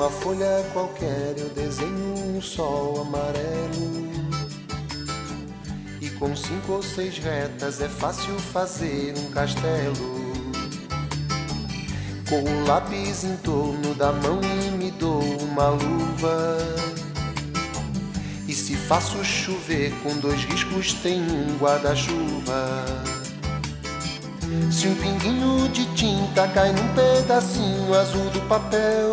Numa folha qualquer eu desenho um sol amarelo, e com 5 ou 6 retas é fácil fazer um castelo. Com o lápis em torno da mão e me dou uma luva, e se faço chover com 2 riscos tem um guarda-chuva. Se um pinguinho de tinta cai num pedacinho azul do papel,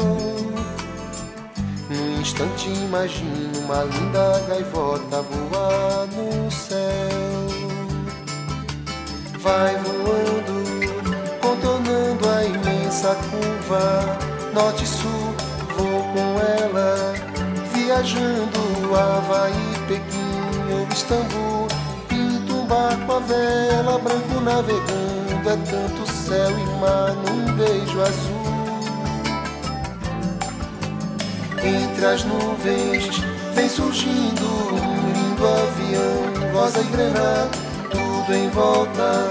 num instante imagino uma linda gaivota voar no céu. Vai voando, contornando a imensa curva, norte e sul, vou com ela, viajando Havaí, Pequim ou Istambul. Pinto um barco à vela, branco navegando, é tanto céu e mar num beijo azul. Entre as nuvens vem surgindo um lindo avião, rosa e grená, tudo em volta,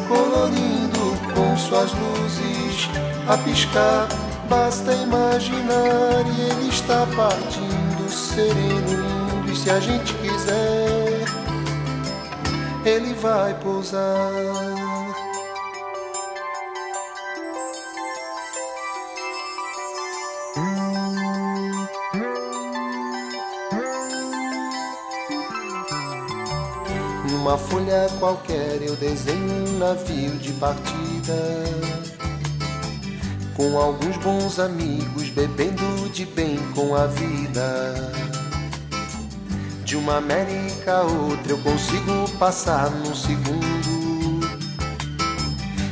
colorindo com suas luzes a piscar. Basta imaginar e ele está partindo, sereno, lindo, e se a gente quiser, ele vai pousar. Numa folha qualquer eu desenho um navio de partida, com alguns bons amigos bebendo de bem com a vida. De uma América a outra eu consigo passar num segundo.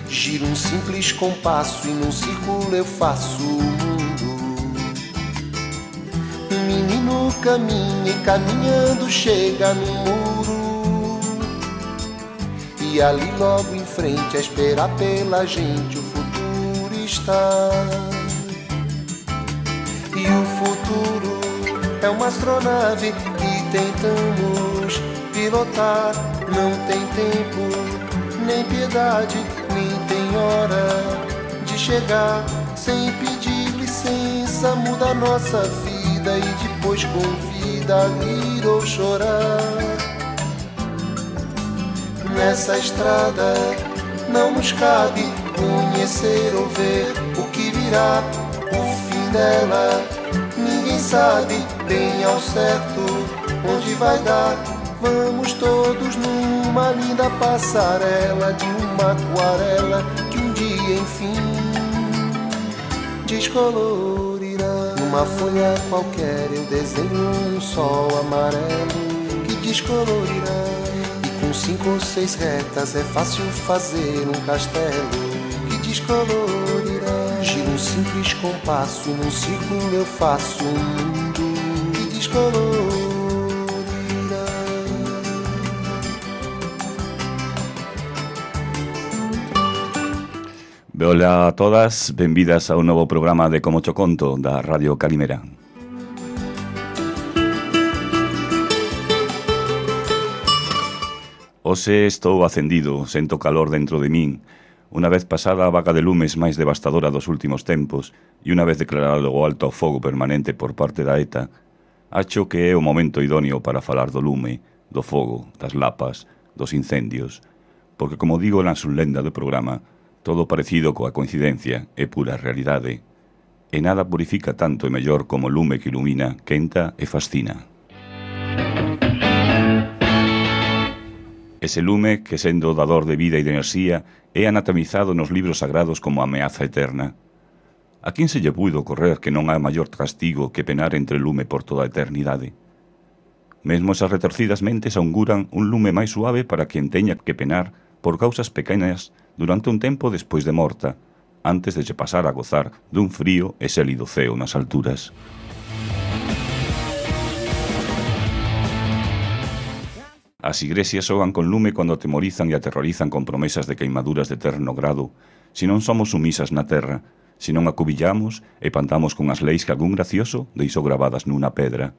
Giro um simples compasso e num círculo eu faço o mundo. Um menino caminha e caminhando chega no muro, e ali logo em frente a esperar pela gente o futuro está. E o futuro é uma astronave que tentamos pilotar. Não tem tempo, nem piedade, nem tem hora de chegar. Sem pedir licença muda a nossa vida e depois convida a rir ou chorar. Nessa estrada não nos cabe conhecer ou ver o que virá, o fim dela. Ninguém sabe bem ao certo onde vai dar. Vamos todos numa linda passarela de uma aquarela que um dia enfim descolorirá. Numa folha qualquer eu desenho um sol amarelo que descolorirá. Com 5 ou 6 retas é fácil fazer um castelo que descolorirá. Giro um simples compasso e num círculo eu faço um mundo que descolorirá. Hola a todas, benvidas a un novo programa de Como Cho Conto da Radio Calimera. Hoxe estou acendido, sento calor dentro de min. Unha vez pasada a vaga de lumes máis devastadora dos últimos tempos e unha vez declarado o alto ao fogo permanente por parte da ETA, acho que é o momento idóneo para falar do lume, do fogo, das lapas, dos incendios, porque como digo na sublenda do programa, todo parecido coa coincidencia é pura realidade, e nada purifica tanto e mellor como o lume que ilumina, quenta e fascina. Ese lume que, sendo dador de vida e de enerxía, é anatomizado nos libros sagrados como ameaza eterna. A quen se lle puido ocorrer que non hai maior castigo que penar entre lume por toda a eternidade? Mesmo esas retorcidas mentes auguran un lume máis suave para quen teña que penar por causas pequenas durante un tempo despois de morta, antes de se pasar a gozar dun frío e xélido ceo nas alturas. As igresias xogan con lume cando atemorizan e aterrorizan con promesas de queimaduras de eterno grado, se non somos sumisas na terra, se non acubillamos e pantamos con as leis que algún gracioso deixou gravadas nunha pedra.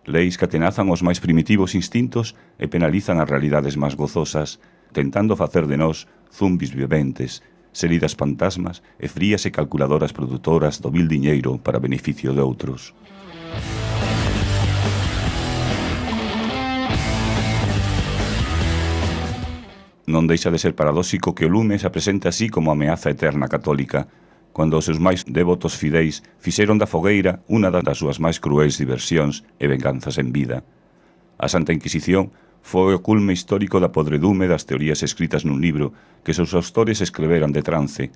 Leis que atenazan os máis primitivos instintos e penalizan as realidades máis gozosas, tentando facer de nós zumbis viventes, seridas fantasmas e frías e calculadoras produtoras do vil diñeiro para beneficio de outros. Non deixa de ser paradóxico que o lume se presente así como ameaza eterna católica, cando os seus máis devotos fideis fixeron da fogueira unha das súas máis cruéis diversións e venganzas en vida. A Santa Inquisición foi o culme histórico da podredume das teorías escritas nun libro que seus autores escreveran de trance,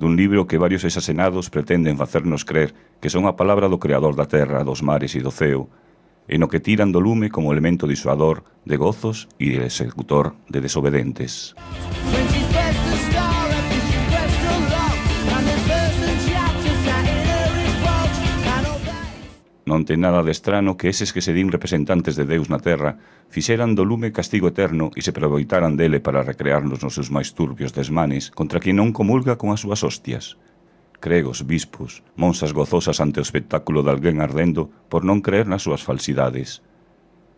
dun libro que varios exasenados pretenden facernos crer que son a palabra do creador da terra, dos mares e do ceo, e no que tiran do lume como elemento disuador de gozos e de executor de desobedentes. Non ten nada de estrano que eses que se din representantes de Deus na terra fixeran do lume castigo eterno e se aproveitaran dele para recrearnos nos seus máis turbios desmanes contra quien non comulga con as súas hostias. Cregos, bispos, monsas gozosas ante o espectáculo de alguén ardendo por non creer nas súas falsidades.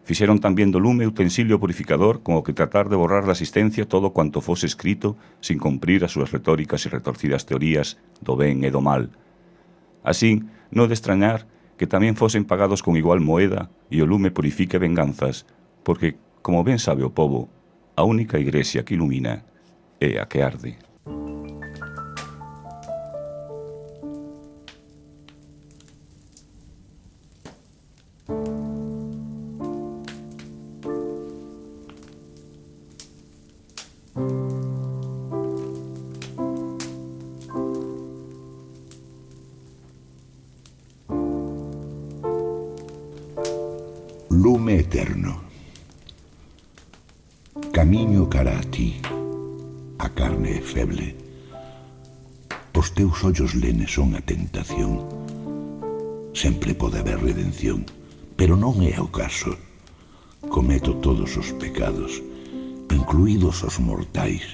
Fixeron tamén do lume utensilio purificador con o que tratar de borrar da existencia todo cuanto fose escrito sin cumprir as súas retóricas e retorcidas teorías do ben e do mal. Así, non de extrañar que tamén fosen pagados con igual moeda e o lume purifique venganzas, porque, como ben sabe o pobo, a única igrexa que ilumina é a que arde. Lume eterno. Camiño cara a ti. A carne é feble. Os teus ollos lenes son a tentación. Sempre pode haber redención, pero non é o caso. Cometo todos os pecados, incluídos os mortais.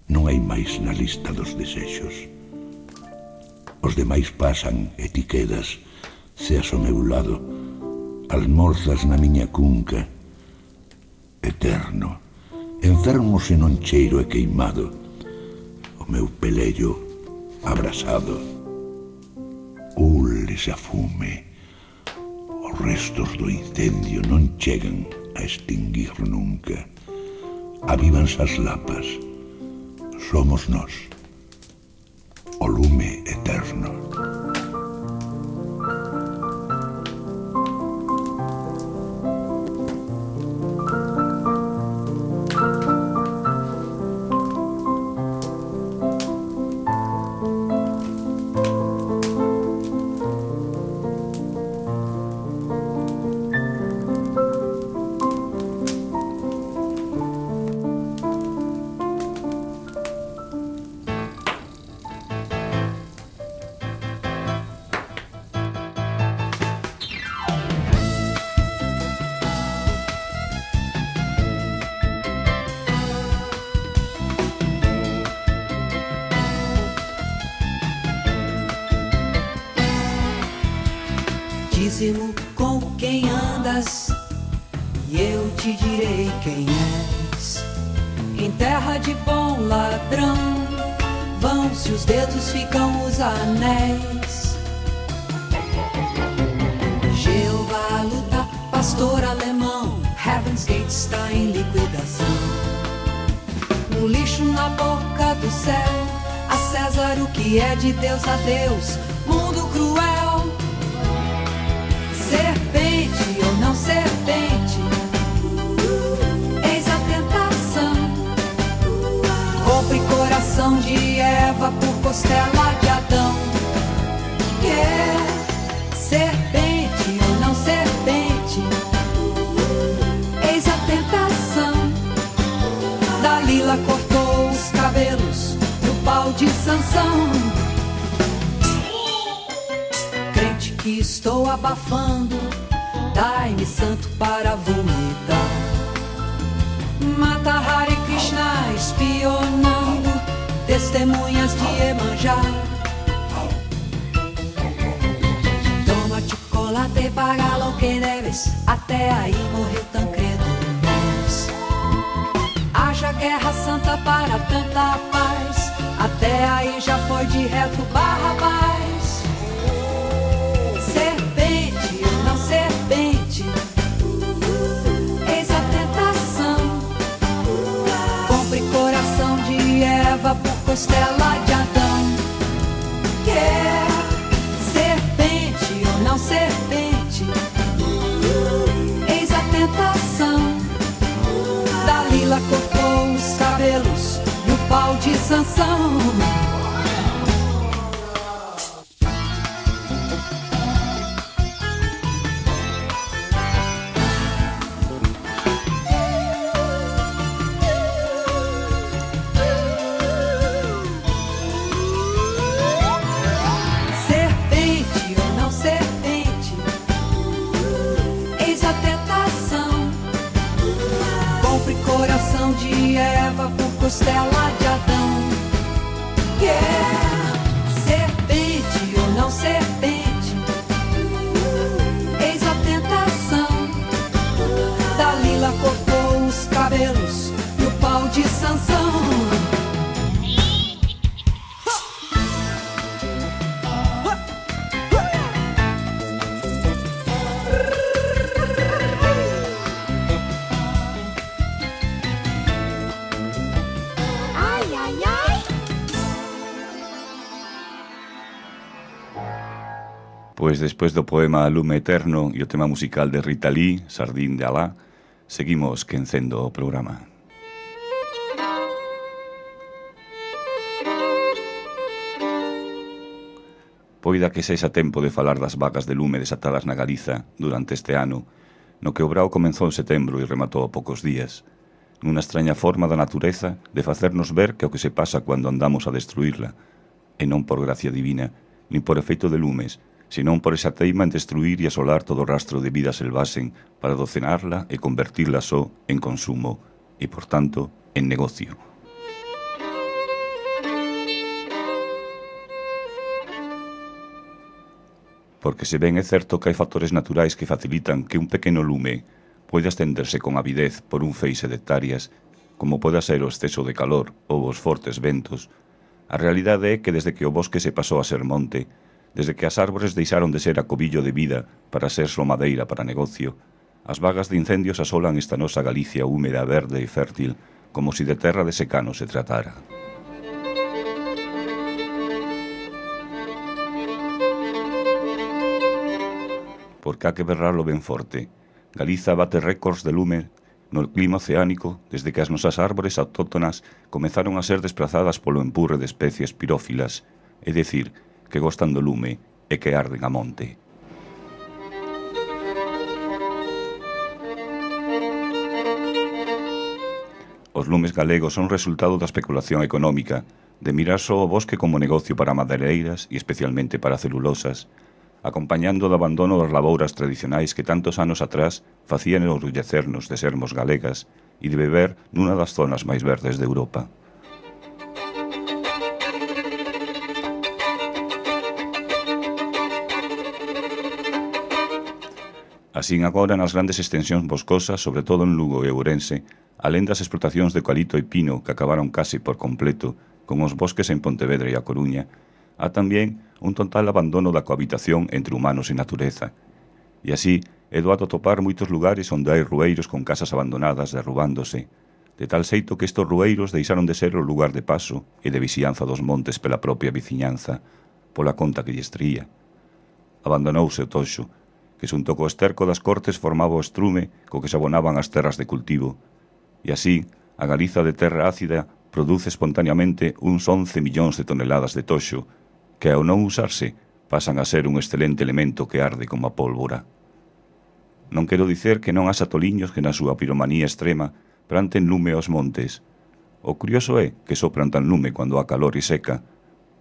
Non hai máis na lista dos desexos. Os demais pasan e ti quedas, seas ao meu lado, almorzas na miña cunca, eterno, enfermo se non cheiro e queimado, o meu pelello abrasado, ules a fume, os restos do incendio non chegan a extinguir nunca, avívanse as lapas, somos nós, o lume eterno. Dize-mo com quem andas e eu te direi quem és. Em terra de bom ladrão vão-se os dedos, ficam os anéis. Jeová luta, pastor alemão, Heaven's Gate está em liquidação. No lixo na boca do céu, a César o que é de Deus a Deus, mundo cruel. Serpente ou não serpente, eis a tentação. Compre coração de Eva por costela de Adão. Serpente ou não serpente, eis a tentação. Dalila cortou os cabelos do pau de Sansão. Que estou abafando, dai-me santo para vomitar. Mata Hare Krishna espionando, testemunhas de Iemanjá. Toma chocolate, paga lo que debes, até aí morreu Tancredo Neves. Haja Guerra Santa para tanta paz, até aí já foi de reto Barrabás. Serpente ou não serpente, eis a tentação. Compre coração de Eva por costela de Adão. Quer serpente ou não serpente, eis a tentação. Dalila cortou os cabelos e o pau de Sansão. De Eva por costela de Adão. Quer serpente ou não serpente, eis a tentação. Dalila cortou os cabelos e o pau de Sansão. Pois despois do poema Lume Eterno e o tema musical de Rita Lee, Sardín de Alá, seguimos quencendo o programa. Poida que sexa tempo de falar das vacas de lume desatadas na Galiza durante este ano, no que o brao comenzou en setembro e rematou a poucos días, nunha extraña forma da natureza de facernos ver que o que se pasa cando andamos a destruirla, e non por gracia divina, nin por efeito de lumes, senón por esa teima en destruir e asolar todo o rastro de vida selvaxen para docenarla e convertirla só en consumo e, por tanto, en negocio. Porque se ben é certo que hai factores naturais que facilitan que un pequeno lume poida estenderse con avidez por un feixe de hectáreas, como poda ser o exceso de calor ou os fortes ventos, a realidade é que desde que o bosque se pasou a ser monte, desde que as árbores deixaron de ser acobillo de vida para ser só madeira para negocio, as vagas de incendios asolan esta nosa Galicia húmeda, verde e fértil, como si de terra de secano se tratara. Porque há que berrarlo ben forte. Galiza bate récords de lume no clima oceánico desde que as nosas árbores autóctonas comezaron a ser desplazadas polo empurre de especies pirófilas, é dicir, que gostan do lume e que arden a monte. Os lumes galegos son resultado da especulación económica, de mirar só o bosque como negocio para madereiras e especialmente para celulosas, acompañando do abandono das labouras tradicionais que tantos anos atrás facían orgullecernos de sermos galegas e de beber nunha das zonas máis verdes de Europa. Así agora nas grandes extensións boscosas, sobre todo en Lugo e Ourense, alén das explotacións de eucalipto e pino que acabaron case por completo con os bosques en Pontevedra e A Coruña, há tamén un total abandono da cohabitación entre humanos e natureza. E así é doado topar moitos lugares onde hai rueiros con casas abandonadas derrubándose, de tal xeito que estes rueiros deixaron de ser o lugar de paso e de vixianza dos montes pela propia veciñanza, pola conta que lles tría. Abandonouse o toxo, que xunto co esterco das cortes formaba o estrume co que se abonaban as terras de cultivo, e así a Galiza de terra ácida produce espontaneamente uns 11 millóns de toneladas de toxo, que ao non usarse pasan a ser un excelente elemento que arde como a pólvora. Non quero dicer que non haxa toliños que na súa piromanía extrema planten lume aos montes. O curioso é que só plantan lume cando há calor e seca,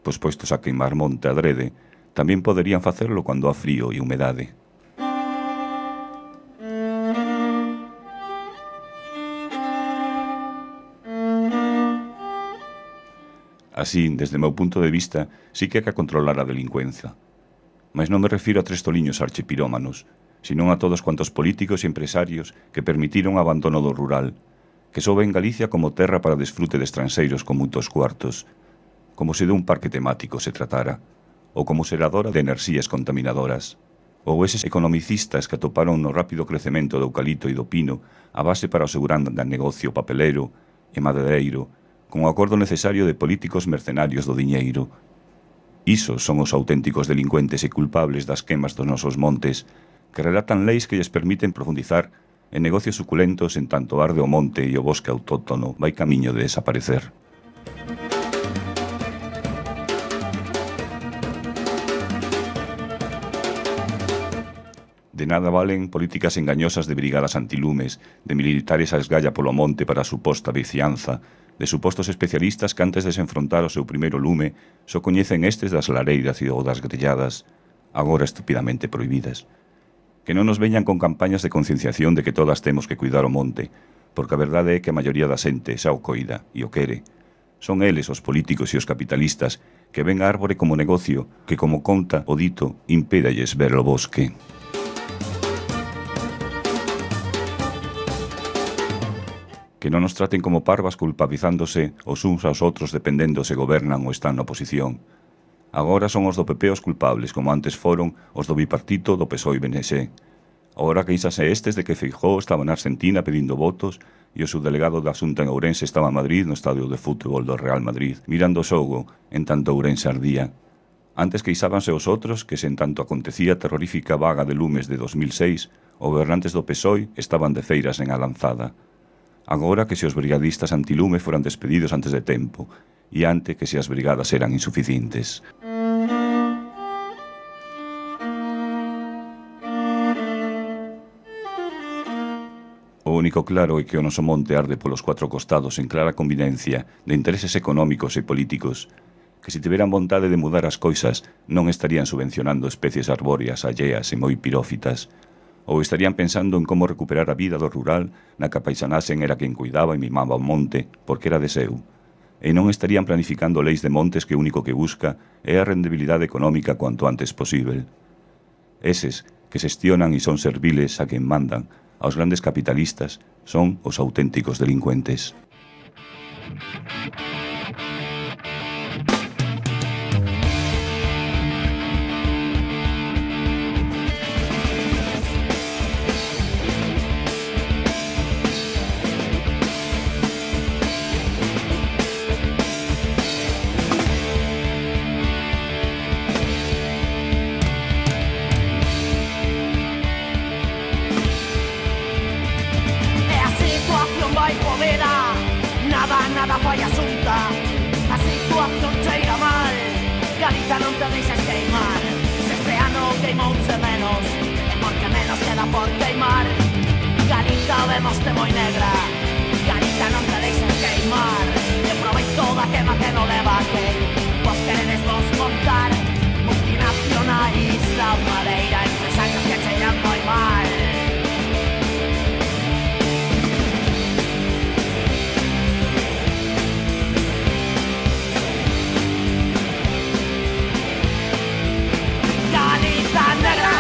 pois postos a queimar monte adrede, tamén poderían facerlo cando há frío e humedade. Así, desde o meu punto de vista, sí que hai que controlar a delincuencia. Mas non me refiro a tres toliños archipirómanos, senón a todos cuantos políticos e empresarios que permitiron o abandono do rural, que só ven Galicia como terra para desfrute de estranxeiros con moitos cuartos, como se de un parque temático se tratara, ou como xeradora de enerxías contaminadoras, ou eses economicistas que atoparon no rápido crecemento do eucalipto e do pino a base para o segurando de negocio papelero e madereiro, con o acordo necesario de políticos mercenarios do diñeiro. Isos son os auténticos delincuentes e culpables das quemas dos nosos montes, que relatan leis que lles permiten profundizar en negocios suculentos en tanto arde o monte e o bosque autóctono vai camiño de desaparecer. De nada valen políticas engañosas de brigadas antilumes, de militares a esgalla polo monte para a suposta vicianza, de supostos especialistas que antes de se enfrontar ao seu primeiro lume só coñecen estes das lareiras e ou das grelladas, agora estúpidamente prohibidas. Que non nos veñan con campañas de concienciación de que todas temos que cuidar o monte, porque a verdade é que a maioría da xente xa o coida e o quere. Son eles, os políticos e os capitalistas, que ven a árbore como negocio que, como conta o dito, impédalles ver o bosque. Que non nos traten como parvas culpabilizándose os uns aos outros dependendo se gobernan ou están na oposición. Agora son os do PP os culpables, como antes foron os do bipartito do PSOE e BNG. Agora queixase estes de que Feijóo estaba na Argentina pedindo votos e o subdelegado da Xunta en Ourense estaba en Madrid no estadio de fútbol do Real Madrid, mirando o xogo, en tanto Ourense ardía. Antes queixábanse os outros que, se en tanto acontecía a terrorífica vaga de lumes de 2006, os gobernantes do PSOE estaban de feiras en Alanzada. Agora que se os brigadistas antilume foran despedidos antes de tempo, e ante que se as brigadas eran insuficientes. O único claro é que o noso monte arde polos 4 costados en clara convivencia de intereses económicos e políticos, que se tiveran vontade de mudar as coisas non estarían subvencionando especies arbóreas alleas e moi pirófitas, ou estarían pensando en como recuperar a vida do rural na que a paisanaxen era quen cuidaba e mimaba o monte porque era de seu, e non estarían planificando leis de montes que o único que busca é a rendibilidade económica cuanto antes posible. Eses que xestionan e son serviles a quen mandan, aos grandes capitalistas, son os auténticos delincuentes. Nada fai asunta, a situación cheira mal. Galiza non te deixes queimar. Se este ano queimouse menos, é porque menos queda por queimar. Galiza vemoste moi negra, Galiza non te deixes queimar. E aproveito da quema que non leva que vos queredes vos montar multinacionais da madeira, empresarios que cheiran moi mal. Galiza negra,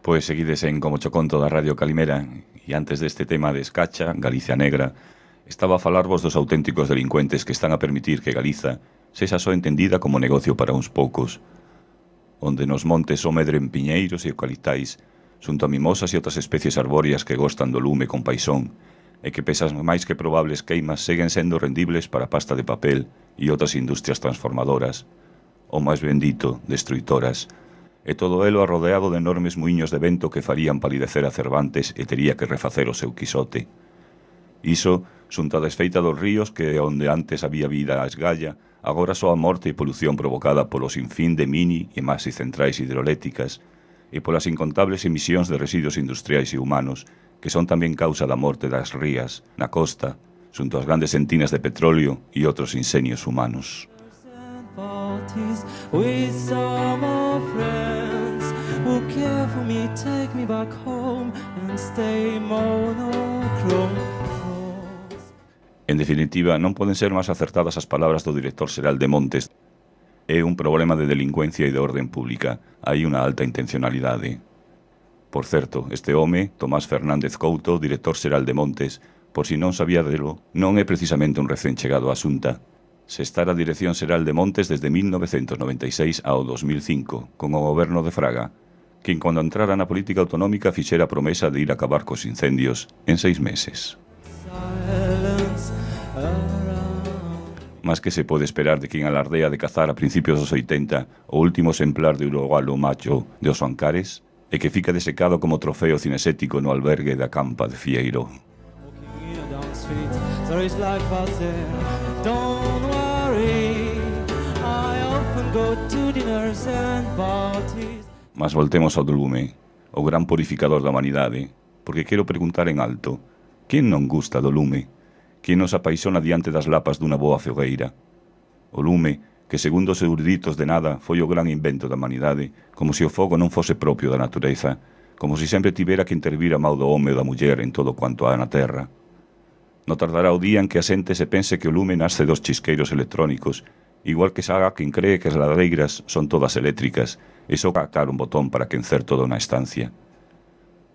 Pois seguides en Como cho conto da Radio Calimera, e antes deste tema de Escacha, Galicia Negra, estaba a falarvos dos auténticos delincuentes que están a permitir que Galiza sexa só entendida como negocio para uns poucos, onde nos montes só medren piñeiros e eucaliptais, xunto a mimosas e outras especies arbóreas que gostan do lume con paixón, e que pesas máis que probables queimas seguen sendo rendibles para pasta de papel e outras industrias transformadoras, ou máis bendito, destruitoras, e todo elo arrodeado de enormes muiños de vento que farían palidecer a Cervantes e tería que refacer o seu Quisote. Iso, xunto a desfeita dos ríos que onde antes había vida a esgalla, agora só a morte e polución provocada polo sinfín de mini e maxi centrais hidroeléctricas e polas incontables emisións de residuos industriais e humanos que son tamén causa da morte das rías, na costa, xunto ás grandes entinas de petróleo e outros insenios humanos. With some old friends who care for me, take me back home and stay monochrome. En definitiva, non poden ser máis acertadas as palabras do director xeral de Montes. É un problema de delincuencia e de orden pública. Hai unha alta intencionalidade. Por certo, este home, Tomás Fernández Couto, director xeral de Montes, por si non sabía delo, non é precisamente un recén chegado á Xunta. Se está a Dirección Xeral de Montes desde 1996 ao 2005, con o goberno de Fraga, quen cando entrara na política autonómica fixera a promesa de ir a acabar cos incendios en 6 meses. Mas que se pode esperar de quen alardea de cazar a principios dos 80 o último exemplar de urugualo macho de os Ancares e que fica desecado como trofeo cinesético no albergue da Campa de Fieiro. Mas voltemos ao do lume, o gran purificador da humanidade, porque quero preguntar en alto, quen non gusta do lume? Quen nos apaixona diante das lapas dunha boa fogueira? O lume, que segundo os eruditos de nada foi o gran invento da humanidade, como se o fogo non fose propio da natureza, como se sempre tivera que intervir a mau do home ou da muller en todo quanto há na terra. Non tardará o día en que a xente se pense que o lume nasce dos chisqueiros electrónicos, igual que saga quen cree que as ladeiras son todas eléctricas e só captar un botón para quencer toda unha estancia.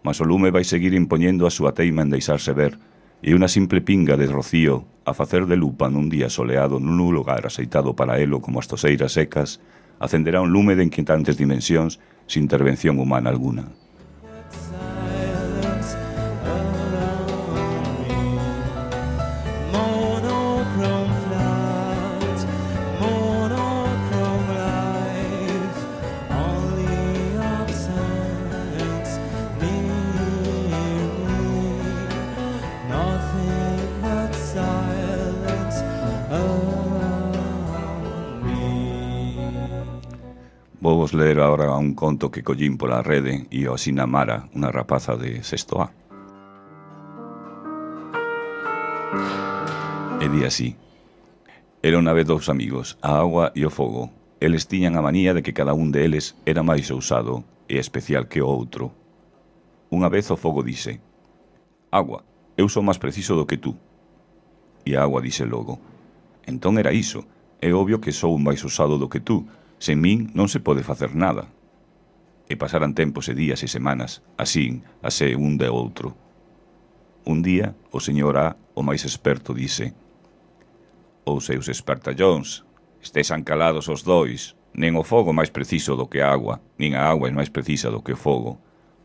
Mas o lume vai seguir impoñendo a súa teima en deixarse ver, e unha simple pinga de rocío a facer de lupa nun día soleado nun lugar aceitado para elo como as toseiras secas, acenderá un lume de inquietantes dimensións sin intervención humana alguna. Vou vos ler agora un conto que collín pola rede e o asina Mara, unha rapaza de sexto A. E di así: era unha vez dous amigos, a agua e o fogo. Eles tiñan a manía de que cada un deles era máis ousado e especial que o outro. Unha vez o fogo dise: agua, eu sou máis preciso do que tú. E a agua dise logo: entón era iso, é obvio que sou máis ousado do que tú. Sen min non se pode facer nada. E pasaran tempos e días e semanas, así, asé un de outro. Un día, o señor A, o máis experto, dise: os seus espertallóns, estexan calados os dois, nen o fogo máis preciso do que a agua, nin a agua é máis precisa do que o fogo.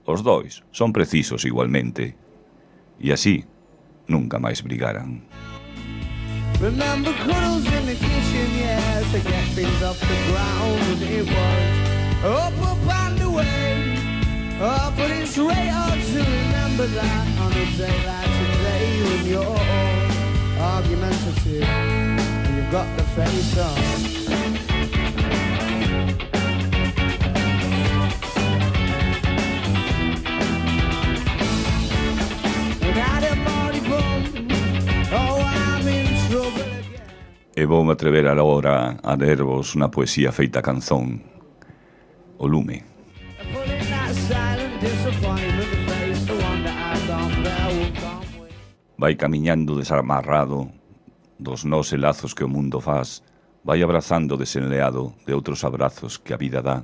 Os dois son precisos igualmente. E así, nunca máis brigaran. Remember cuddles in the kitchen, yes, to get things off the ground. It was up and away, but it's very hard to remember that on a day like today when you're all argumentative and you've got the face on. E voume atrever agora a lervos unha poesía feita canzón, O lume. Vai camiñando desamarrado dos nós e lazos que o mundo faz, vai abrazando desenleado de outros abrazos que a vida dá.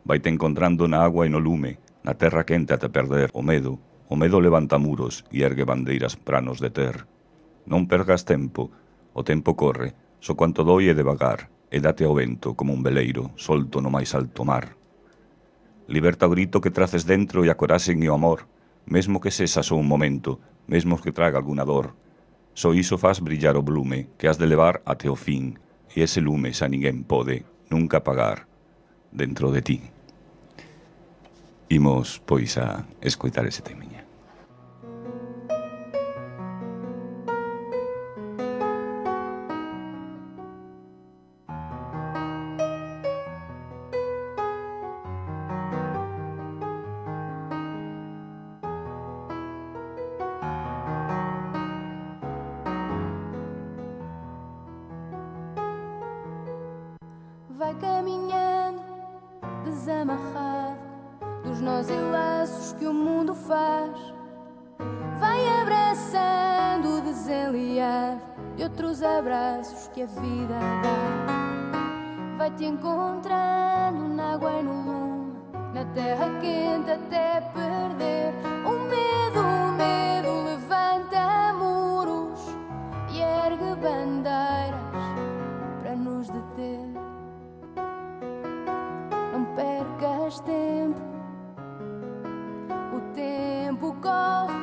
Vaite encontrando na agua e no lume, Na terra quente ate perder o medo levanta muros e ergue bandeiras pranos de ter. Non pergas tempo, o tempo corre, só cuanto doi e devagar, e date ao vento como un veleiro, solto no máis alto mar. Liberta o grito que traces dentro e a coraxen e o amor, mesmo que sexa só un momento, mesmo que traga alguna dor. Só iso faz brillar o blume que has de levar até o fin, e ese lume xa ninguén pode nunca apagar dentro de ti. Imos, pois, a escoitar ese temiña. Vai caminhando, desamarrado dos nós e laços que o mundo faz. Vai abraçando o desenliado de outros abraços que a vida dá. Vai-te encontrando na água e no lume, na terra quente até perder o medo levanta muros e ergue bandeiras para nos deter. Não percas tempo, o tempo corre,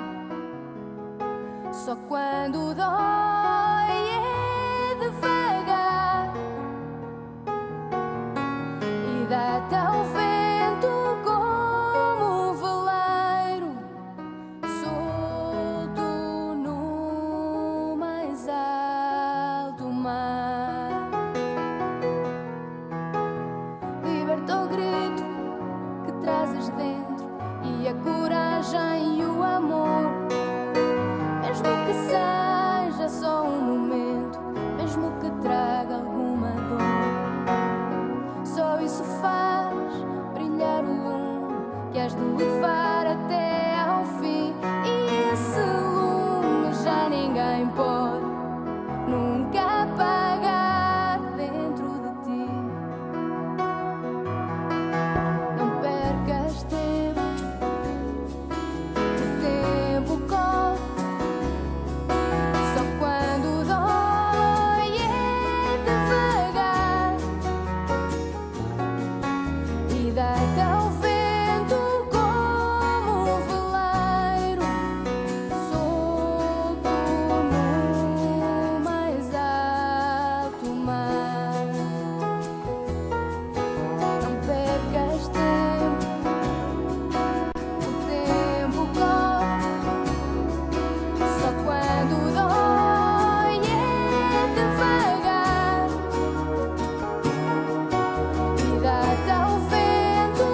só quando dói é devagar, e dá-te ao vento como um veleiro, solto no mais alto mar. Liberta o grito que trazes dentro e a coragem e o amor, mesmo que seja só um momento, mesmo que traga alguma dor. Só isso faz brilhar o lume que has de levar até ao fim, e esse lume já ninguém pode nunca apagar dentro de ti. Não percas tempo, o tempo corre, só quando dói é devagar, e dá-te ao vento como um veleiro, solto no mais alto mar. Não percas tempo, o tempo corre, só quando dói é devagar, e dá-te ao vento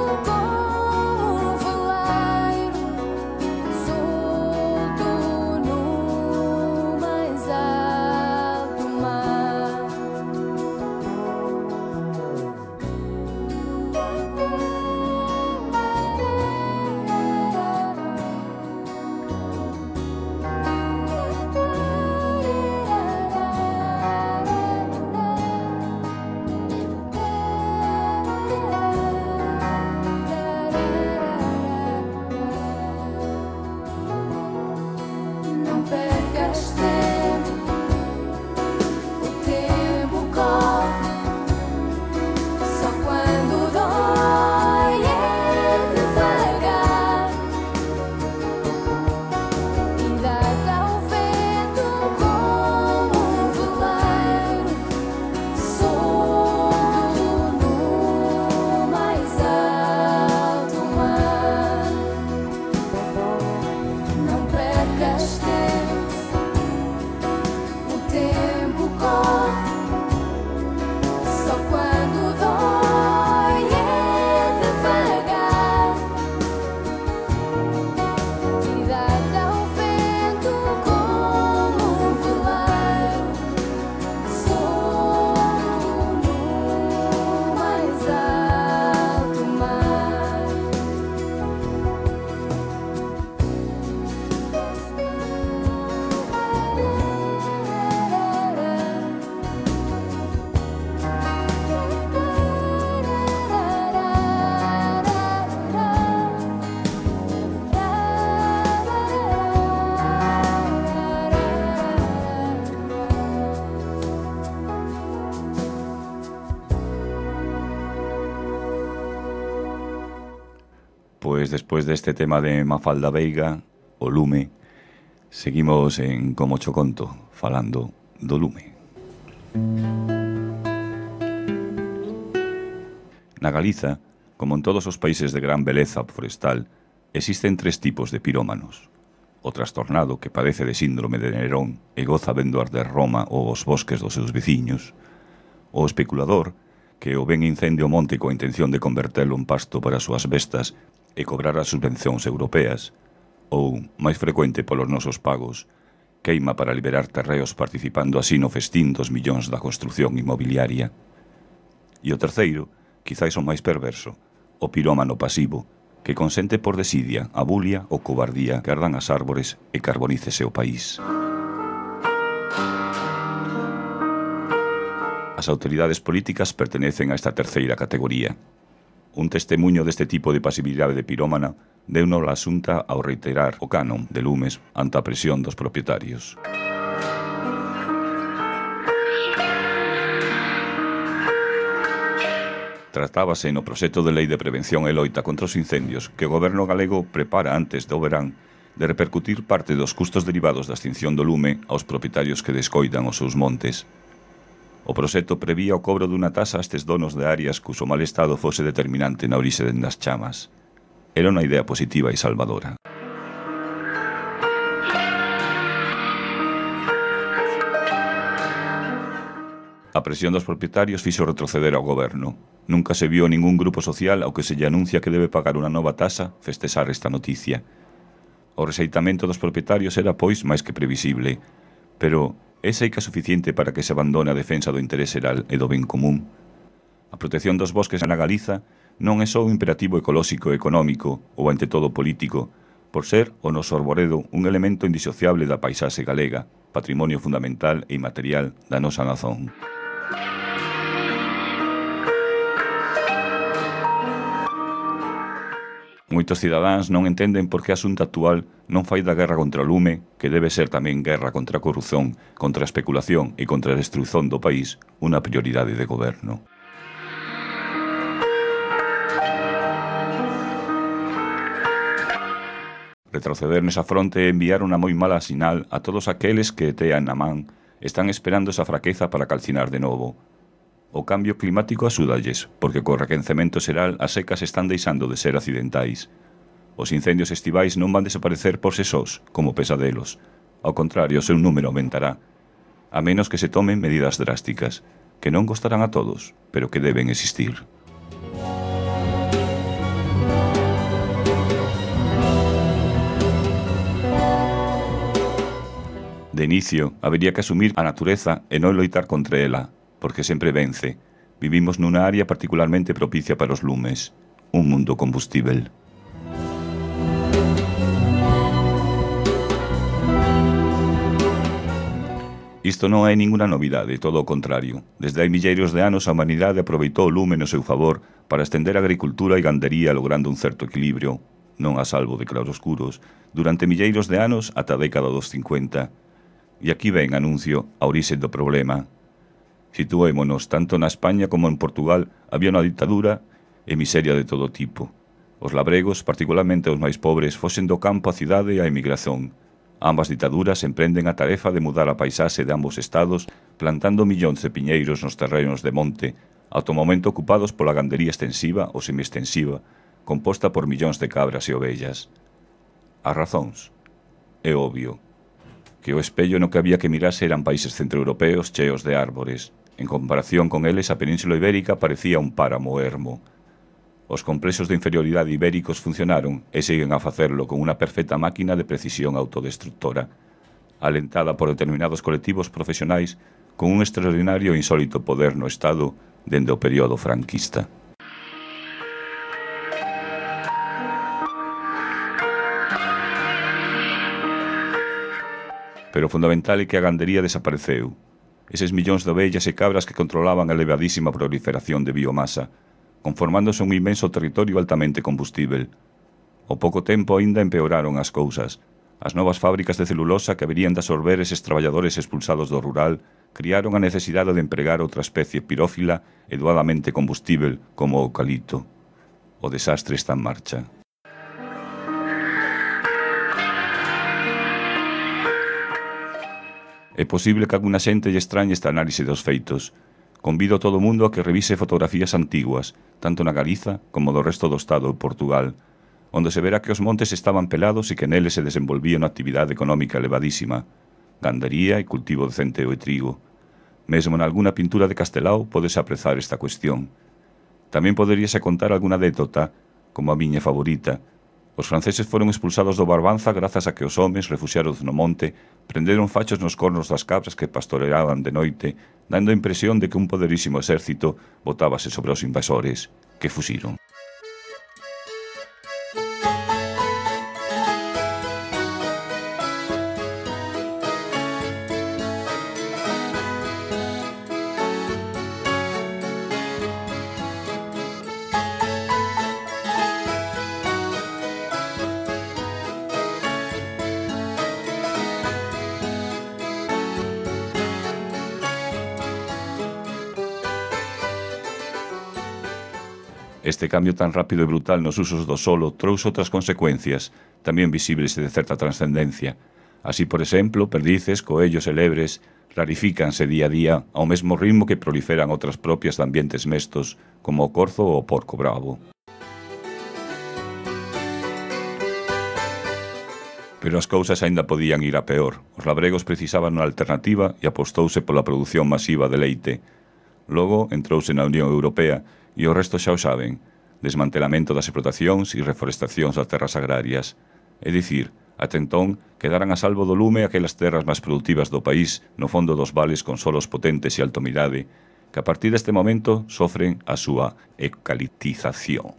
Pois despois deste tema de Mafalda Veiga, o lume, seguimos en Como cho conto, falando do lume. Na Galiza, como en todos os países de gran beleza forestal, existen 3 tipos de pirómanos. O trastornado, que padece de síndrome de Nerón e goza vendo arder Roma ou os bosques dos seus veciños. O especulador, que o ven incendio o monte coa intención de convertelo en pasto para as súas bestas e cobrar as subvencións europeas, ou, máis frecuente polos nosos pagos, queima para liberar terreos participando así no festín dos millóns da construción inmobiliaria. E o terceiro, quizáis o máis perverso, o pirómano pasivo, que consente por desidia, a bulia ou cobardía que ardan as árbores e carbonícese o país. As autoridades políticas pertenecen a esta terceira categoría. Un testemuño deste tipo de pasividade de pirómana deuno a Xunta ao reiterar o canon de lumes ante a presión dos propietarios. Tratábase no proxecto de lei de prevención e loita contra os incendios que o goberno galego prepara antes do verán de repercutir parte dos custos derivados da extinción do lume aos propietarios que descoidan os seus montes. O proxecto prevía o cobro dunha taxa a estes donos de áreas cuso mal estado fose determinante na orixe das chamas. Era unha idea positiva e salvadora. A presión dos propietarios fixo retroceder ao goberno. Nunca se viu ningún grupo social ao que se lle anuncia que debe pagar unha nova taxa festexar esta noticia. O rexeitamento dos propietarios era, pois, máis que previsible, pero é seica suficiente para que se abandone a defensa do interés xeral e do ben común. A protección dos bosques na Galiza non é só un imperativo ecolóxico e económico ou ante todo político, por ser o noso arboredo un elemento indisociable da paisaxe galega, patrimonio fundamental e inmaterial da nosa nazón. Moitos cidadáns non entenden por que a Xunta actual non fai da guerra contra o lume, que debe ser tamén guerra contra a corrupción, contra a especulación e contra a destruición do país, unha prioridade de goberno. Retroceder nesa fronte é enviar unha moi mala sinal a todos aqueles que tean na man están esperando esa fraqueza para calcinar de novo. O cambio climático axúdalles, porque co requencemento xeral as secas están deixando de ser accidentais. Os incendios estivais non van desaparecer por se sós, como pesadelos. Ao contrario, o seu número aumentará, a menos que se tomen medidas drásticas, que non gostarán a todos, pero que deben existir. De inicio, habería que asumir a natureza e non loitar contra ela, porque sempre vence. Vivimos nunha área particularmente propicia para os lumes, un mundo combustível. Isto non é ninguna novidade, todo o contrario. Desde hai milleiros de anos a humanidade aproveitou o lume no seu favor para estender a agricultura e gandería logrando un certo equilibrio, non a salvo de claroscuros, durante milleiros de anos ata a década dos 50. E aquí ven, anuncio, a orixe do problema. Situémonos, tanto na España como en Portugal había unha ditadura e miseria de todo tipo. Os labregos, particularmente os máis pobres, fosen do campo á cidade e á emigración. Ambas ditaduras emprenden a tarefa de mudar a paisaxe de ambos estados plantando millóns de piñeiros nos terrenos de monte, ata o momento ocupados pola gandería extensiva ou semiextensiva, composta por millóns de cabras e ovellas. As razóns? É obvio que o espello no que había que mirarse eran países centroeuropeos cheos de árbores. En comparación con eles, a Península Ibérica parecía un páramo ermo. Os complexos de inferioridade ibéricos funcionaron e siguen a facerlo con unha perfecta máquina de precisión autodestructora, alentada por determinados colectivos profesionais con un extraordinario e insólito poder no Estado dende o período franquista. Pero o fundamental é que a gandería desapareceu. Eses millóns de ovellas e cabras que controlaban a elevadísima proliferación de biomasa, conformándose un inmenso territorio altamente combustível. Ao pouco tempo aínda empeoraron as cousas. As novas fábricas de celulosa que haberían de absorber eses traballadores expulsados do rural criaron a necesidade de empregar outra especie pirófila e doadamente combustível como o eucalipto. O desastre está en marcha. É posible que alguna xente lle extrañe esta análise dos feitos. Convido a todo o mundo a que revise fotografías antiguas, tanto na Galiza como do resto do Estado de Portugal, onde se verá que os montes estaban pelados e que neles se desenvolvía unha actividade económica elevadísima, gandaría e cultivo de centeo e trigo. Mesmo en alguna pintura de Castelao podese aprezar esta cuestión. Tamén poderíase contar alguna anécdota, como a miña favorita. Os franceses foron expulsados do Barbanza grazas a que os homes, refuxiados no monte, prenderon fachos nos cornos das cabras que pastoreaban de noite, dando a impresión de que un poderísimo exército botábase sobre os invasores, que fuxiron. Este cambio tan rápido e brutal nos usos do solo trouxe outras consecuencias, tamén visibles e de certa transcendencia. Así, por exemplo, perdices, coellos e lebres rarifícanse día a día ao mesmo ritmo que proliferan outras propias de ambientes mestos, como o corzo ou o porco bravo. Pero as cousas aínda podían ir a peor. Os labregos precisaban unha alternativa e apostouse pola produción masiva de leite. Logo, entrouse na Unión Europea e o resto xa o saben, desmantelamento das explotacións e reforestacións das terras agrarias. É dicir, ata entón, quedaran a salvo do lume aquelas terras máis productivas do país no fondo dos vales con solos potentes e altomidade, que a partir deste momento sofren a súa eucaliptización.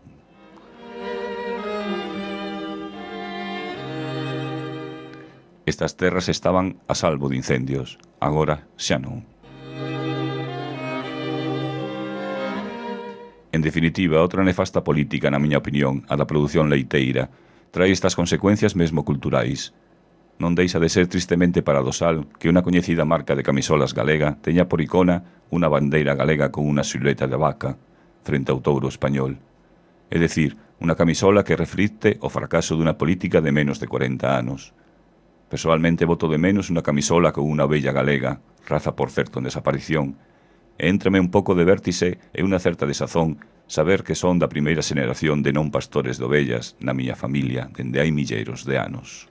Estas terras estaban a salvo de incendios, agora xa non. En definitiva, outra nefasta política, na miña opinión, a da produción leiteira, trae estas consecuencias mesmo culturais. Non deixa de ser tristemente paradoxal que unha coñecida marca de camisolas galega teña por icona unha bandeira galega con unha silueta de vaca, frente ao touro español. É dicir, unha camisola que reflicte o fracaso dunha política de menos de 40 anos. Personalmente voto de menos unha camisola con unha ovella galega, raza por certo en desaparición, e éntrame un pouco de vértice e unha certa desazón saber que son da primeira xeración de non pastores de ovellas na miña familia dende hai milleiros de anos.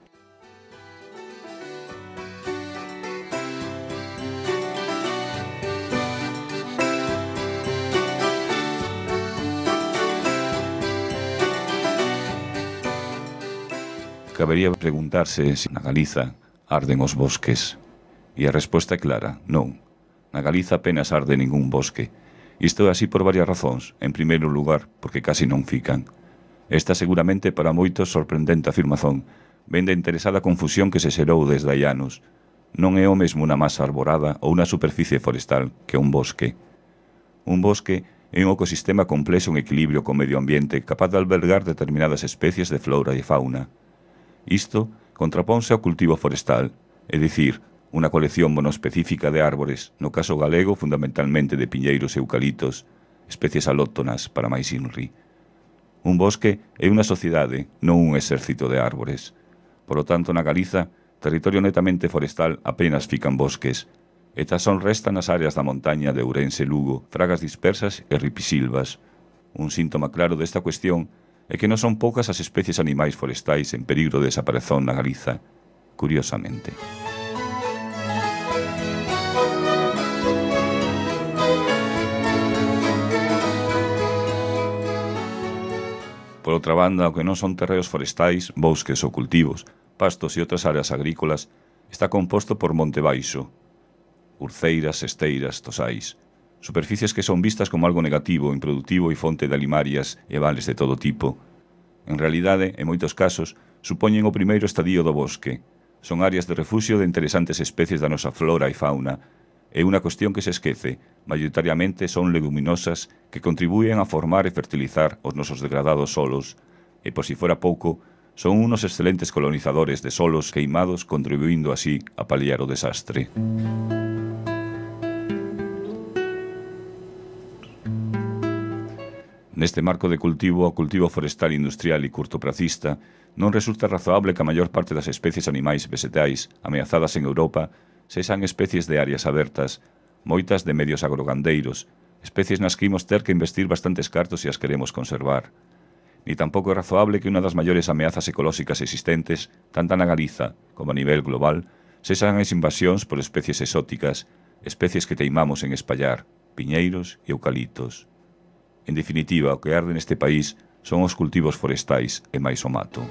Cabería preguntarse se na Galiza arden os bosques. E a resposta é clara, non. Na Galiza apenas arde ningún bosque. Isto é así por varias razóns. En primeiro lugar, porque casi non fican. Esta seguramente para moitos sorprendente afirmación vén da interesada confusión que se xerou desde hai anos. Non é o mesmo unha masa arborada ou unha superficie forestal que un bosque. Un bosque é un ecosistema complexo en equilibrio co medio ambiente capaz de albergar determinadas especies de flora e fauna. Isto contraponse ao cultivo forestal, é dicir, unha colección monoespecífica de árbores, no caso galego fundamentalmente de piñeiros e eucalitos, especies alóctonas para máis inri. Un bosque é unha sociedade, non un exército de árbores. Por lo tanto, na Galiza, territorio netamente forestal apenas fican bosques, e tan son restan as áreas da montaña de Ourense e Lugo, fragas dispersas e ripisilvas. Un síntoma claro desta cuestión é que non son poucas as especies animais forestais en peligro de desaparezón na Galiza, curiosamente. Por outra banda, o que non son terreos forestais, bosques ou cultivos, pastos e outras áreas agrícolas, está composto por monte baixo, urceiras, esteiras, tosais, superficies que son vistas como algo negativo, improductivo e fonte de alimarias e vales de todo tipo. En realidade, en moitos casos, supoñen o primeiro estadio do bosque. Son áreas de refuxio de interesantes especies da nosa flora e fauna, e unha cuestión que se esquece, maioritariamente son leguminosas que contribúen a formar e fertilizar os nosos degradados solos, e por si fora pouco, son unos excelentes colonizadores de solos queimados contribuindo así a paliar o desastre. Neste marco de cultivo, o cultivo forestal industrial e curtopracista, non resulta razoable que a maior parte das especies animais vegetais ameazadas en Europa sexan especies de áreas abertas, moitas de medios agrogandeiros, especies nas que imos ter que investir bastantes cartos se as queremos conservar. Ni tampouco é razoable que unha das maiores ameazas ecolóxicas existentes, tanto na Galiza como a nivel global, sexan as invasións por especies exóticas, especies que teimamos en espallar, piñeiros e eucaliptos. En definitiva, o que arde neste país son os cultivos forestais e máis o mato.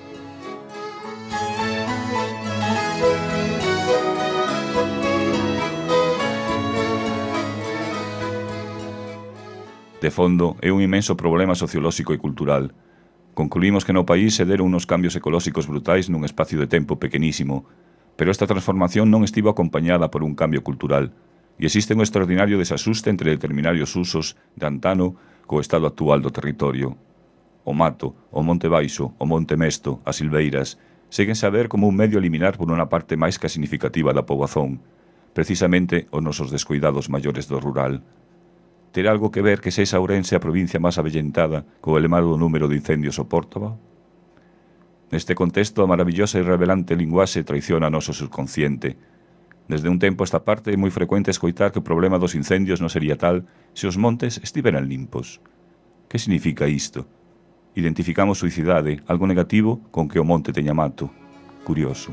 De fondo, é un inmenso problema sociolóxico e cultural. Concluímos que no país se deron unos cambios ecolóxicos brutais nun espacio de tempo pequenísimo, pero esta transformación non estivo acompañada por un cambio cultural, e existe un extraordinario desasuste entre determinados usos de antano co estado actual do territorio. O mato, o monte baixo, o monte mesto, as silveiras, séguense a ver como un medio a eliminar por unha parte máis que significativa da poboación, precisamente os nosos descuidados maiores do rural. Ter algo que ver que sexa Ourense a provincia máis avellentada co elevado número de incendios o Pórtova? Neste contexto, a maravillosa e revelante linguaxe traiciona o noso subconsciente. Desde un tempo a esta parte é moi frecuente escoitar que o problema dos incendios non sería tal se os montes estiveran limpos. Que significa isto? Identificamos suicidade, algo negativo, con que o monte teña mato. Curioso.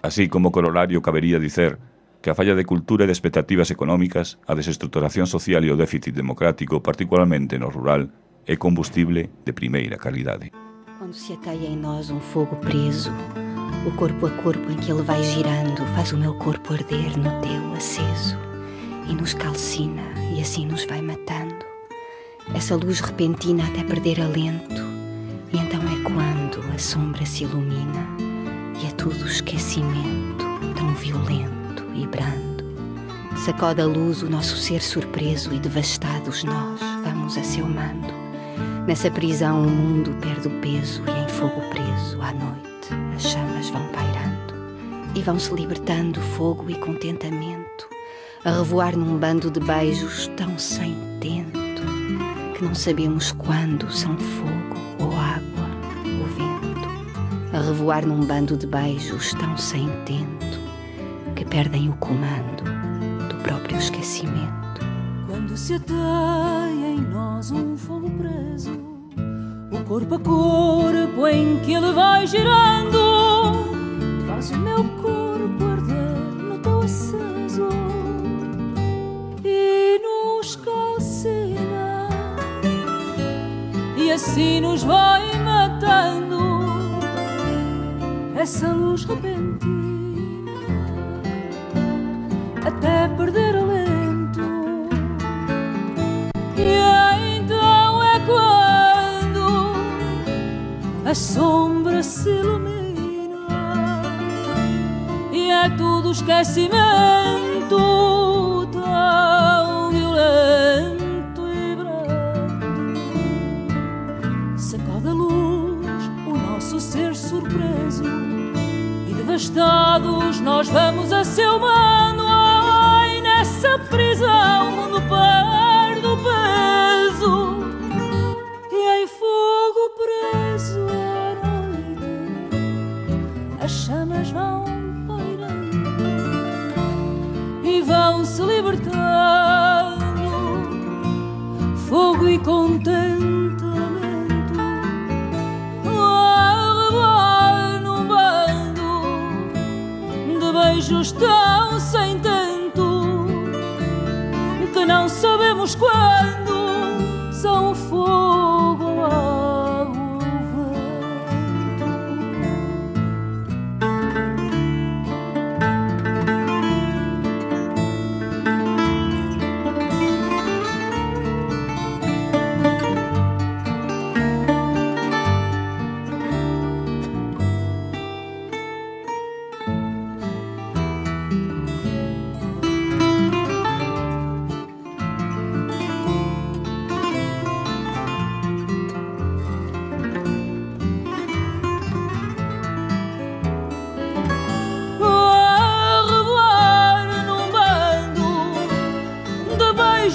Así como corolario cabería dicer que a falla de cultura e de expectativas económicas, a desestruturación social e o déficit democrático, particularmente no rural, é combustible de primeira calidade. Quando se ateia em nós um fogo preso, o corpo a corpo em que ele vai girando faz o meu corpo arder no teu aceso e nos calcina e assim nos vai matando. Essa luz repentina até perder alento e então é quando a sombra se ilumina e é tudo esquecimento, tão violento e brando. Sacode a luz o nosso ser surpreso e devastados nós vamos a seu mando. Nessa prisão o mundo perde o peso e em fogo preso à noite as chamas vão pairando e vão-se libertando fogo e contentamento a revoar num bando de beijos tão sem tento que não sabemos quando são fogo ou água ou vento. A revoar num bando de beijos tão sem tento que perdem o comando do próprio esquecimento. Quando se ateia em nós um fogo preso, o corpo a corpo em que ele vai girando faz o meu corpo arder no teu aceso e nos calcina e assim nos vai matando. Essa luz repentina até perder alento e então é quando a sombra se ilumina e é tudo esquecimento tão violento e brando. Sacode a luz o nosso ser surpreso e devastados nós vamos a seu mano. Ai, nessa prisão o mundo perde o peso e em fogo preso à noite as chamas vão pairando e vão se libertando fogo e contentamento a revoar num bando de beijos tão sem tento que não sabemos quando são fogo, água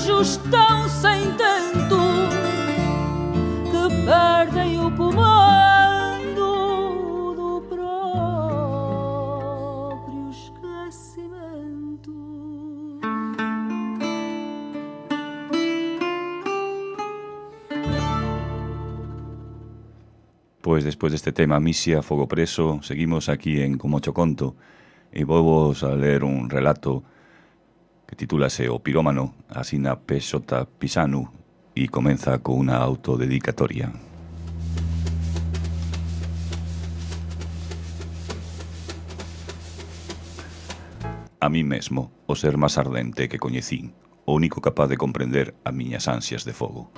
ou tão sem tento que perdem o Pois despois deste tema Misia, Fogo Preso, seguimos aquí en Como cho conto e vos a ler un relato que titúlase O pirómano, asina P.J. Pisanu e comeza con unha autodedicatoria. A mí mesmo, o ser máis ardente que coñecín, o único capaz de comprender as miñas ansias de fogo.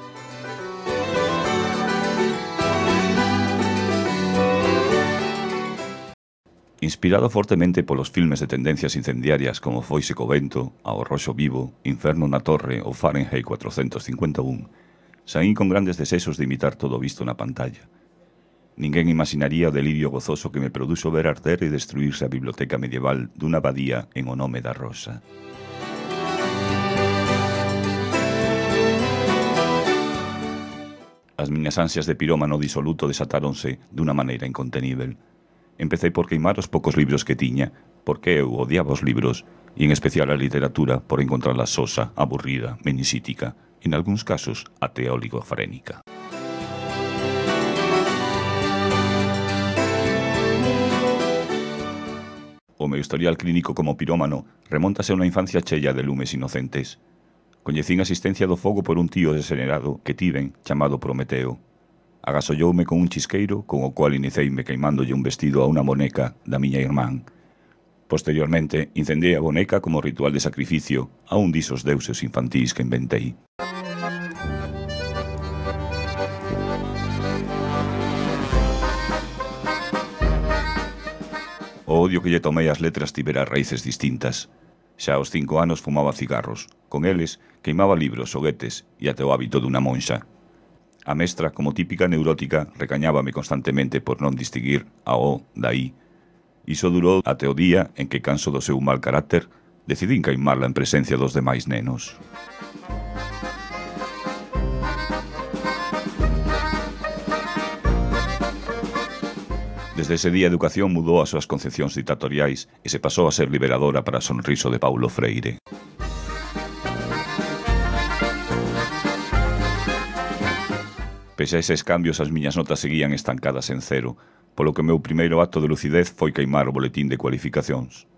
Inspirado fortemente polos filmes de tendencias incendiarias como Foise co vento, Ao roxo vivo, Inferno na torre ou Fahrenheit 451, saín con grandes desexos de imitar todo o visto na pantalla. Ninguén imaginaría o delirio gozoso que me produxo ver arder e destruírse a biblioteca medieval dunha abadía en o nome da rosa. As miñas ansias de pirómano disoluto desatáronse dunha maneira incontenível. Empecei por queimar os poucos libros que tiña, porque eu odiaba os libros, e en especial a literatura, por encontrarla sosa, aburrida, menisítica, en algúns casos até oligofrénica. O meu historial clínico como pirómano remóntase a unha infancia cheia de lumes inocentes. Coñecín a asistencia do fogo por un tío desenerado que tiven, chamado Prometeo. Agasolloume con un chisqueiro con o cual iniciei-me queimándolle un vestido a unha boneca da miña irmán. Posteriormente, incendei a boneca como ritual de sacrificio a un disos deuses infantís que inventei. O odio que lle tomei ás letras tivera raíces distintas. Xa aos 5 anos fumaba cigarros. Con eles, queimaba libros, xoguetes e até o hábito dunha monxa. A mestra, como típica neurótica, recañábame constantemente por non distinguir a O da I. Iso durou até o día en que, canso do seu mal carácter, decidín queimarla en presencia dos demais nenos. Desde ese día a educación mudou as súas concepcións dictatoriais e se pasou a ser liberadora para o sonriso de Paulo Freire. Pese a eses cambios, as miñas notas seguían estancadas en cero, polo que o meu primeiro acto de lucidez foi queimar o boletín de cualificacións.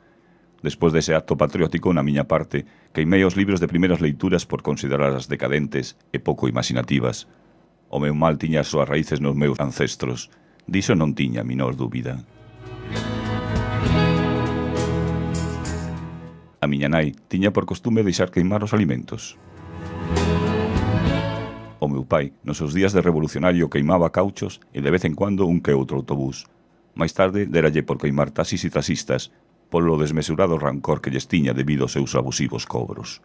Despois dese acto patriótico, na miña parte, queimei os libros de primeiras leituras por considerarlas decadentes e pouco imaginativas. O meu mal tiña as súas raíces nos meus ancestros, diso non tiña a menor dúbida. A miña nai tiña por costume deixar queimar os alimentos. O meu pai, nos seus días de revolucionario, queimaba cauchos e de vez en cuando un que outro autobús. Máis tarde, deralle por queimar taxis e taxistas polo desmesurado rancor que lles tiña debido aos seus abusivos cobros.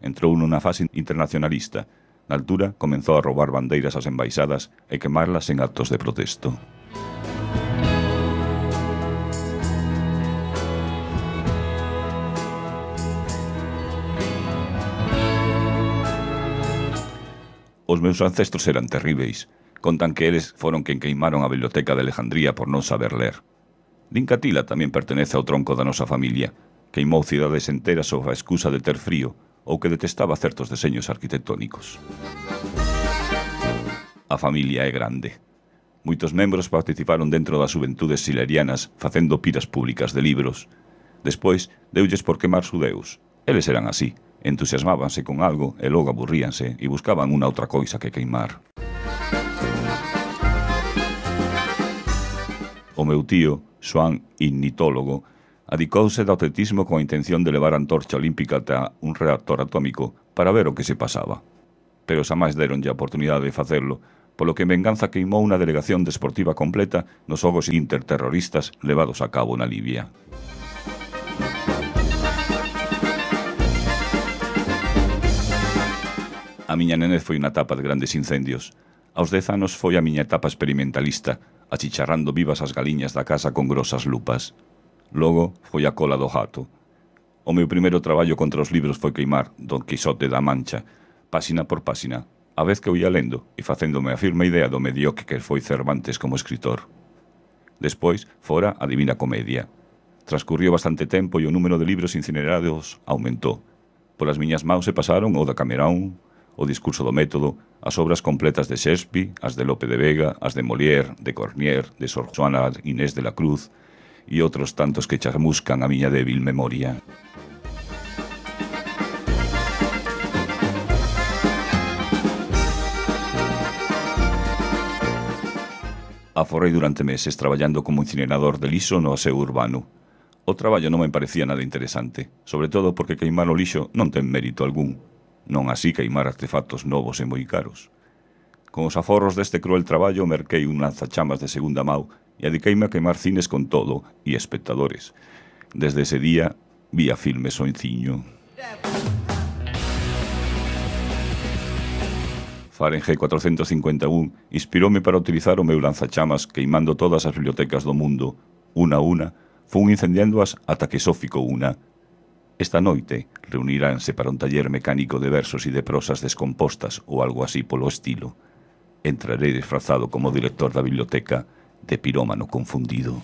Entrou nunha fase internacionalista. Na altura, comenzou a roubar bandeiras ás embaixadas e quemarlas en actos de protesto. Os meus ancestros eran terríveis. Contan que eles foron quen queimaron a biblioteca de Alejandría por non saber ler. Din que Atila tamén pertenece ao tronco da nosa familia. Queimou cidades enteras sob a excusa de ter frío ou que detestaba certos deseños arquitectónicos. A familia é grande. Moitos membros participaron dentro das xuventudes silerianas facendo piras públicas de libros. Despois, deulles por quemar xudeus. Eles eran así. Entusiasmábanse con algo e logo aburríanse e buscaban unha outra coisa que queimar. O meu tío, Xoán Ignitólogo, adicouse do atletismo con a intención de levar a antorcha olímpica ata un reactor atómico para ver o que se pasaba. Pero xa máis deronlle a oportunidade de facelo, polo que en venganza queimou unha delegación desportiva completa nos xogos interterroristas levados a cabo na Libia. A miña nenez foi unha etapa de grandes incendios. Aos 10 anos foi a miña etapa experimentalista, achicharrando vivas as galiñas da casa con grosas lupas. Logo foi a cola do gato. O meu primeiro traballo contra os libros foi queimar Don Quixote da Mancha, páxina por páxina, a vez que eu ia lendo e facéndome a firme idea do mediocre que foi Cervantes como escritor. Despois fora a Divina Comedia. Transcurriu bastante tempo e o número de libros incinerados aumentou. Polas miñas maus se pasaron o da Camerón, O discurso do método, as obras completas de Shakespeare, as de Lope de Vega, as de Molière, de Cornier, de Sor Juana Inés de la Cruz e outros tantos que chamuscan a miña débil memoria. Aforrei durante meses traballando como incinerador de lixo no aseo urbano. O traballo non me parecía nada interesante, sobre todo porque queimar o lixo non ten mérito algún, non así queimar artefactos novos e moi caros. Con os aforros deste cruel traballo merquei un lanzachamas de segunda mau e dediqueime a queimar cines con todo e espectadores. Desde ese día, vía filmes o enciño. Fahrenheit 451 inspiroume para utilizar o meu lanzachamas queimando todas as bibliotecas do mundo, una a una, fun incendiándoas ata que só ficou unha. Esta noite reuniránse para un taller mecánico de versos e de prosas descompostas ou algo así polo estilo. Entrarei disfrazado como director da biblioteca de pirómano confundido.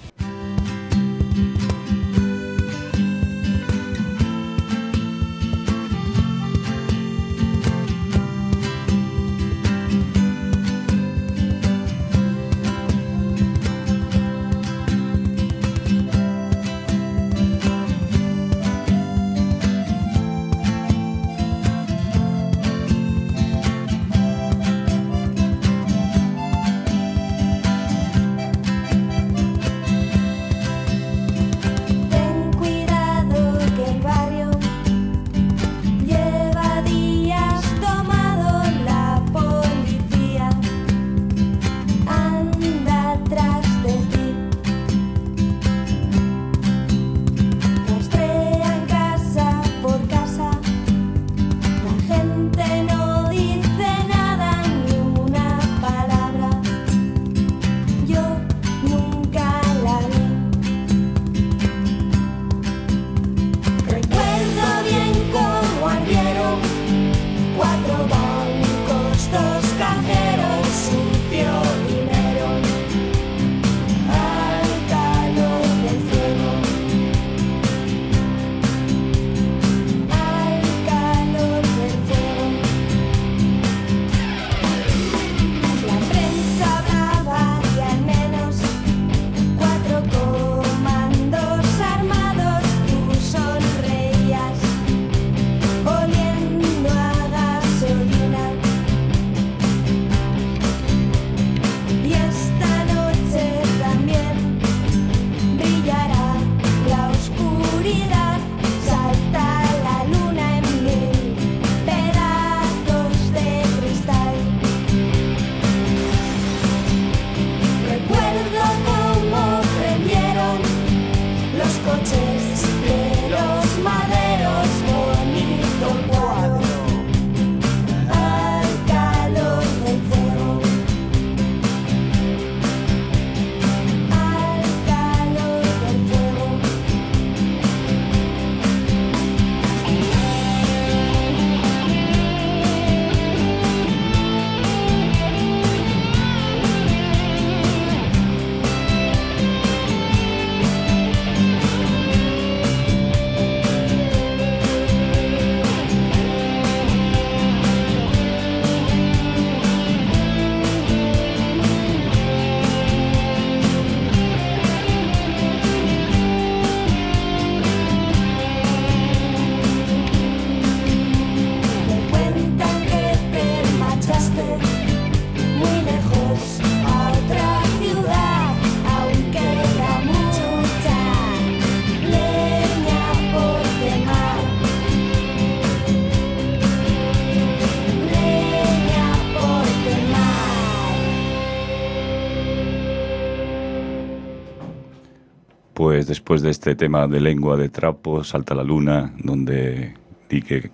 Pues despois deste tema de lengua de trapo, salta la luna, donde di que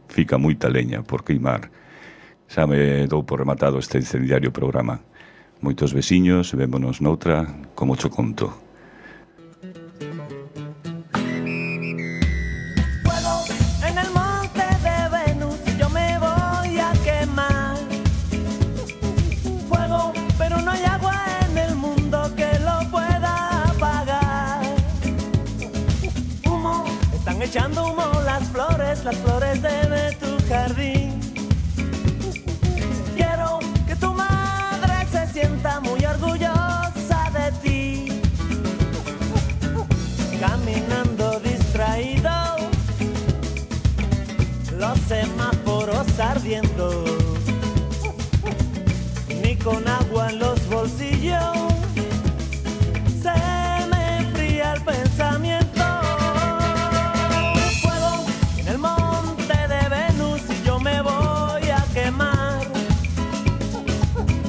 fica moita leña por queimar. Xa me dou por rematado este incendiario programa. Moitos veciños, vémonos noutra, como cho conto. Echando humo las flores de tu jardín. fósforos ardiendo, ni con agua en los bolsillos se me enfría el pensamiento. Fuego en el monte de Venus y yo me voy a quemar.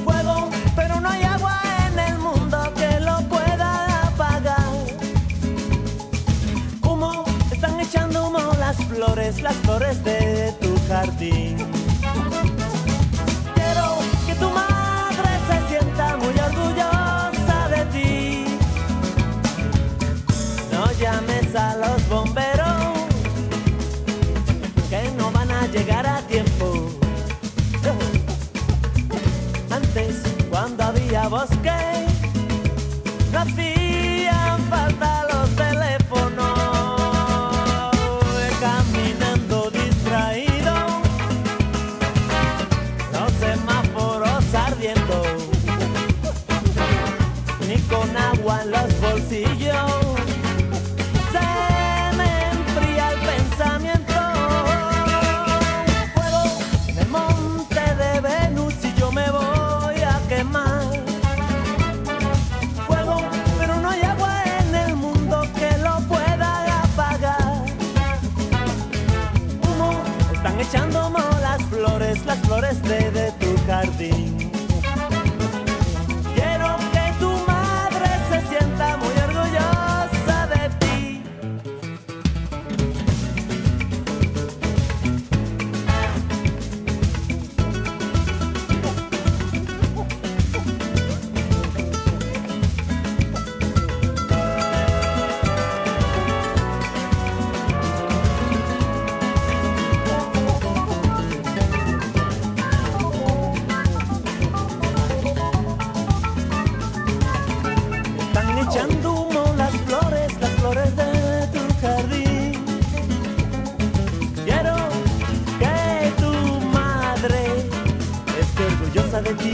Fuego, pero no hay agua en el mundo que lo pueda apagar. Humo, están echando humo las flores de tu jardín. Quiero que tu madre se sienta muy orgullosa de ti. No llames a los bomberos, que no van a llegar a tiempo. Antes, cuando había bosque, no hacían falta los teléfonos. Caminando distraído, los semáforos ardiendo, ni con agua en los bolsillos se me enfría el pensamiento. Fuego en el monte de Venus y yo me voy a quemar. Fuego, pero no hay agua en el mundo que lo pueda apagar. Humo, están echando humo las flores de tu jardín. Quiero que tu madre se sienta muy orgullosa de ti. Echando humo las flores de tu jardín. Quiero que tu madre esté orgullosa de ti.